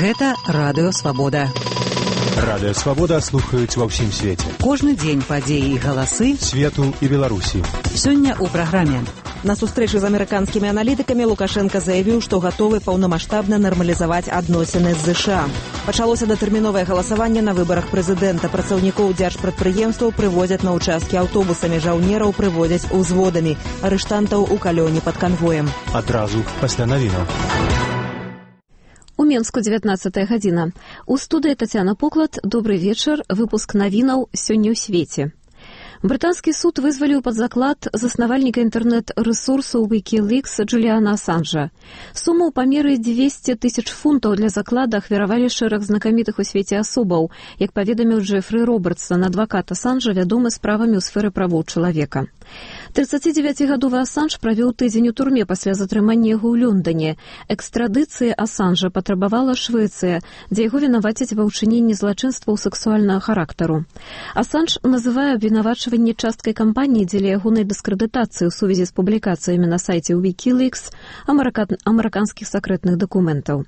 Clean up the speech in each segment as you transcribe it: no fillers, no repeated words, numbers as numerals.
Гэта Радыё Свабода. Радыё Свабода слухаюць ва ўсім свеце. Кожны дзень падзеі і галасы свету і Беларусі. Сёння ў праграме. На сустрэчы з амерыканскімі аналітыкамі Лукашенко заявіў, што гатовы паўнамаштабна нармалізаваць адносіны з ЗША. Пачалося датэрміновае галасаванне на выбарах прэзідэнта. Працаўнікоў дзяржпрадпрыемстваў прывозяць на ўчасткі аўтобусамі, жаўнераў прывозяць узводамі, арыштантаў у калёне пад канвоем. Адразу пасля навінаў. У Менску 19 гадзіна. У студыі Тацяна Поклад. Добрый вечар. Выпуск навінаў сёння ў свеце. Брытанскі суд вызваліў пад заклад заснавальніка інтэрнэт-рэсурсу Wikileaks Джуліана Асанжа. Суму ў памеры 200 000 фунтаў для заклада ахвяравалі шэраг знакамітых у свеце асобаў, як паведаміў Джефры Робертсон, адвакат Асанжа, вядомы справамі ў сферы правоў чалавека. 39-гадовы Асанж правёў тыдзень у турме пасля затрымання яго ў Лондоне. Экстрадыцыі Асанжа патрабавала Швецыя, дзе яго вінавацяць ва ўчыненні злачынстваў сэксуальнага характару. Асанж называе абвінавачванне часткай кампаніі дзеля ягонай дыскрэдытацыі ў сувязі з публікацыямі на сайце Wikileaks амерыканскіх сакрэтных дакументаў.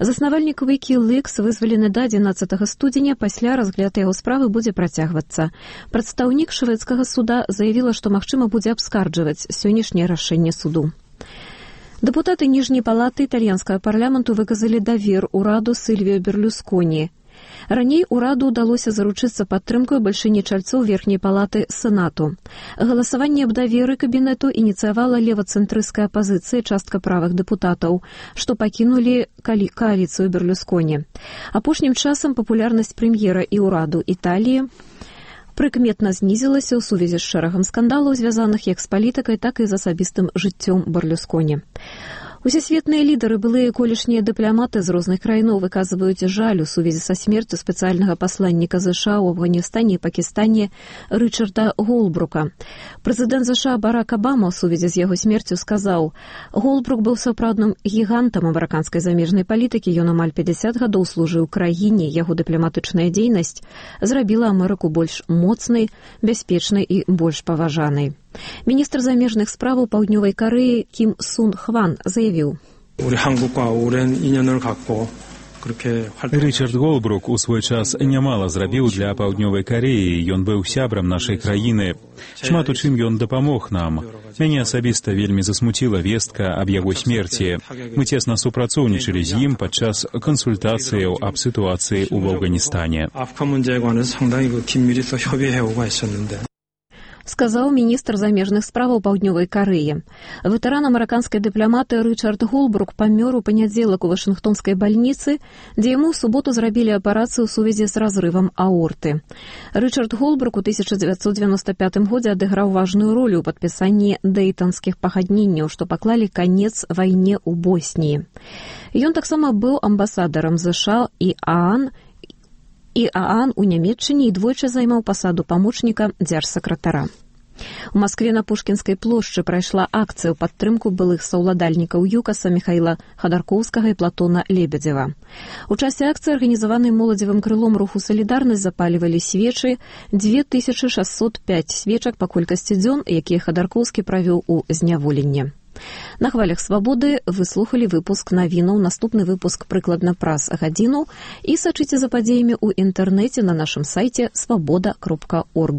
Заснавальнік Wikileaks вызвалены да 11 студзеня, пасля разгляд яго справы будзе працягвацца. Прадстаўнік шведскага суда заявіла, што магчыма будзе абскарджваць сённяшняе рашэнне суду. Дэпутаты ніжняй палаты італьянскага парламенту выказалі давер ураду Сільвіо Берлусконі. Раней ураду ўдалося заручыцца падтрымкай бальшыні чальцоў верхняй палаты Сенату. Галасаванне аб даверы кабінету ініцыявала левацэнтрысцкая апазіцыя, частка правых дэпутатаў, што пакінулі кааліцыю Берлусконі. Апошнім часам папулярнасць прэм'ера і ўраду Італіі прыкметна знізілася ў сувязі з шэрагам скандалаў, звязаных як з палітыкай, так і з асабістым жыццём Берлусконі. Усесветныя лідары, былыя колішнія дыпламаты з розных краінаў выказваюць жаль у сувязі са смерцю спецыяльнага пасланніка ЗША ў Афганістане і Пакістане Рычарда Голбрука. Прэзідэнт ЗША Барак Абама ў сувязі з яго смерцю сказаў: «Голбрук быў сапраўдным гігантам амерыканскай замежнай палітыкі, ён амаль 50 гадоў служыў краіне, яго дыпламатычная дзейнасць зрабіла Амерыку больш моцнай, бяспечнай і больш паважанай». Міністр замежных справаў Паўднёвай Карэі Кім Сун Хван заявіў: Рычард Голбрук у свой час нямала зрабіў для Паўднёвай Карэі, ён быў сябрам нашай краіны. Шмат у чым ён дапамог нам. Мяне асабіста вельмі засмуціла вестка аб яго смерці. Мы цесна супрацоўнічалі з ім падчас кансультацыяў аб сітуацыі ў Афганістане. Сказаў міністр замежных справаў Паўднёвай Карэі. Ветэран амерыканскай дыпламаты Рычард Голбрук памёр у панядзелак у вашынгтонскай бальніцы, дзе яму ў суботу зрабілі аперацыю ў сувязі з разрывам аорты. Рычард Голбрук у 1995 годзе адыграў важную ролю ў падпісанні дэйтанскіх пагадненняў, што паклалі канец вайне ў Босніі. Ён таксама быў амбасадарам ЗША і ААН у Нямецчыне і двойчы займаў пасаду памочніка дзяржсакратара. У Маскве на Пушкінскай плошчы прайшла акцыя ў падтрымку былых саўладальнікаў ЮКАСа Міхаіла Хадаркоўскага і Платона Лебедзева. У часе акцыі, арганізаванай моладзевым крылом руху «Салідарнасць», запалівалі свечы, 2605 свечак па колькасці дзён, якія Хадаркоўскі правёў у зняволенні. На хвалях свабоды вы слухалі выпуск навінаў. Наступны выпуск прыкладна праз гадзіну і сачыце за падзеямі ў інтэрнэце на нашым сайце свабода.орг.